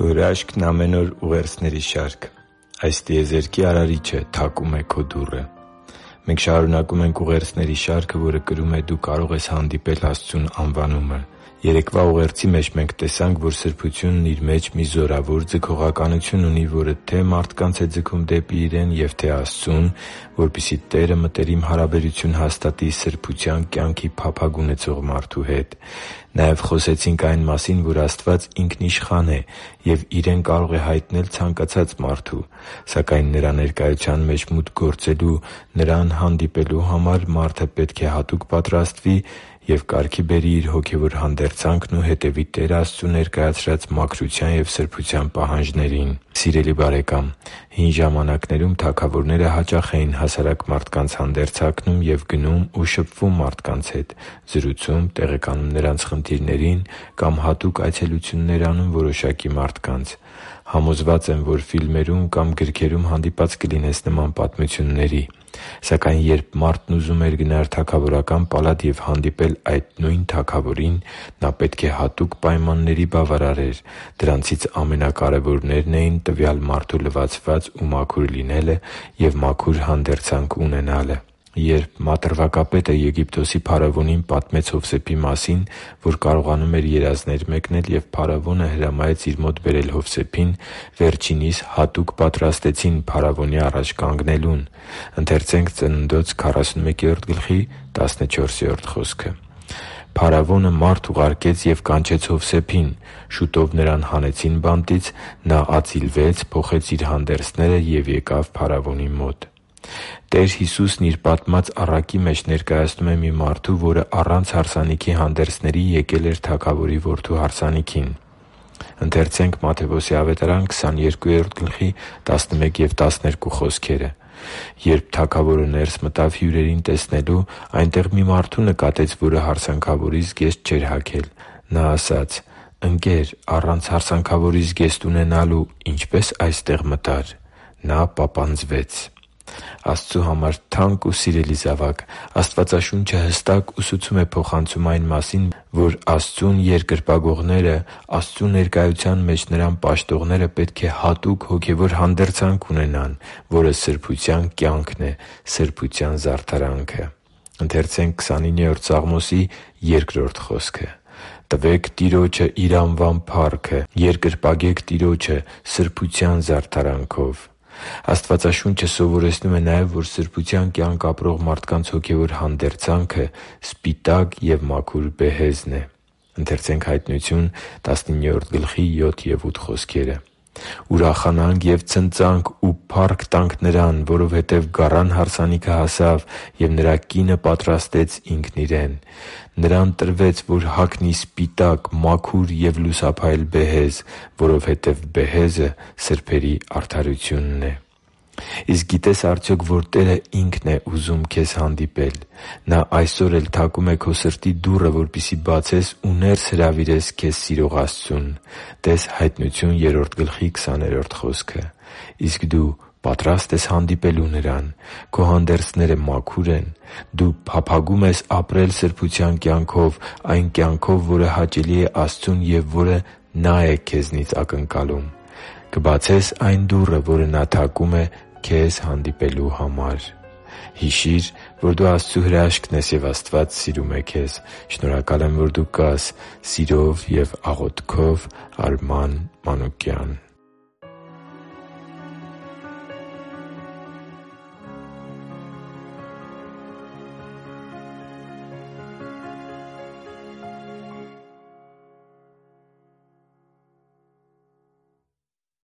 Քո հրաշքն ամեն օր ուղերձների շարք։ Այս տիեզերքի Արարիչը թակում է քո դուռը։ Մենք շարունակում ենք ուղերձների շարքը, որը կրում է «Դու կարող ես հանդիպել Աստծուն» անվանումը։ Երեկվա ուղերձի մեջ մենք տեսանք, որ սրբությունն իր մեջ մի զորավոր ձգողականություն ունի, որը թե՛ մարդկանց է ձգում դեպի Իրեն և թե՛ Աստծուն, որպեսզի Տերը մտերիմ հարաբերություն հաստատի սրբության կյանքի փափագ ունեցող մարդու հետ։ Նաև խոսեցինք այն մասին, որ Աստված ինքնիշխան է և Իրեն կարող է հայտնել ցանկացած մարդու, սակայն Նրա ներկայության մեջ մուտք գործելու, Նրան հանդիպելու համար մարդը պետք է հատուկ պատրաստվի և կարգի բերի իր հոգևոր հանդերձանքն ու հետևի Տեր Աստծու ներկայացրած մաքրության և սրբության պահանջներին։ Սիրելի՛ բարեկամ, հին ժամանակներում թագավորները հաճախ էին հասարակ մարդկանց հանդերձանքնում և գնում ու շփվում մարդկանց հետ, զրուցում, տեղեկանում նրանց խնդիրներին կամ հատուկ այցելություններ անում որոշակի մարդկանց։ Համոզված եմ, որ ֆիլմերում կամ գրքերում հանդիպած կլինես նման պատմությունների։ Սակայն երբ մարդն ուզում էր գնալ թագավորական պալատ և հանդիպել այդ նույն թագավորին, նա պետք է հատուկ պայմանների բավարարեր։ Դրանցից ամենակարևորներն էին տվյալ մարդու լվացված ու մաքուր լինելը և մաքուր հանդերձանք ունենալը։ Երբ մատրվակապետը Եգիպտոսի փարավոնին պատմեց Հովսեփի մասին, որ կարողանում էր երազներ մեկնել, և փարավոնը հրամայեց իր մոտ բերել Հովսեփին, վերջինիս հատուկ պատրաստեցին փարավոնի առաջ կանգնելուն։ «Փարավոնը մարդ ուղարկեց և կանչեց Հովսեփին. շուտով նրան հանեցին բանտից, նա ածիլվեց, փոխեց իր հանդերձները և եկավ փարավոնի մոտ» (Ծննդոց 44:14)։ Տեր Հիսուսն Իր պատմած առակի մեջ ներկայացնում է մի մարդու, որը առանց հարսանիքի հանդերձների եկել էր թագավորի որդու հարսանիքին։ «Երբ թագավորը ներս մտավ հյուրերին տեսնելու, այնտեղ մի մարդու նկատեց, որը հարսանքավորի զգեստ չէր հագել։ Նա ասաց. «Ընկեր, առանց հարսանքավորի զգեստ ունենալու ինչպե՞ս այստեղ մտար»։ Նա պապանձվեց» (Մատթեոս 22:11-13)։ Աստծու համար թանկ ու սիրելի՛ զավակ, Աստվածաշունչը հստակ ուսուցում է փոխանցում այն մասին, որ Աստծուն երկրպագողները, Աստծու ներկայության մեջ Նրան պաշտողները պետք է հատուկ հոգևոր հանդերձանք ունենան, որը սրբության կյանքն է, սրբության զարդարանքը։ «Տվե՛ք Տիրոջը Իր անվան փառքը, երկրպագե՛ք Տիրոջը սրբության զարդարանքով» (Սաղմոս 20:2)։ Աստվածաշունչը սովորեցնում է նաև, որ սրբության կյանք ապրող մարդկանց հոգևոր հանդերձանքը սպիտակ և մաքուր բեհեզն է։ «Ուրախանանք և ցնծանք ու փառք տանք Նրան, որովհետև գառան հարսանիքը հասավ, և Նրա կինը պատրաստեց ինքն իրեն։ Նրան տրվեց, որ հագնի սպիտակ, մաքուր և լուսափայլ բեհեզ, որովհետև բեհեզը սրբերի արդարությունն է» (Հայտնություն 19:7-8)։ Իսկ գիտե՞ս արդյոք, որ Տերը Ինքն է ուզում քեզ հանդիպել։ Նա այսօր էլ թակում է քո սրտի դուռը, որպեսզի բացես ու ներս հրավիրես քեզ սիրող Աստծուն (տե՛ս Հայտնություն 3:20 խոսքը)։ Իսկ դու պատրա՞ստ ես հանդիպելու Նրան։ Քո հանդերձները մաքուր են։ Դու փափագո՞ւմ ես ապրել սրբության կյանքով՝ այն կյանքով, որը հաճելի է Աստծուն և որը Նա է քեզնից ակնկալում։ Կբացե՞ս այն դուռը, որը Նա թակում է քեզ հանդիպելու համար։ Հիշի՛ր, որ դու Աստծո հրաշքն ես, և Աստված սիրում է քեզ։ Շնորհակալ եմ, որ դու կա՛ս։ Սիրով և աղոթքով, Արման Մանուկյան։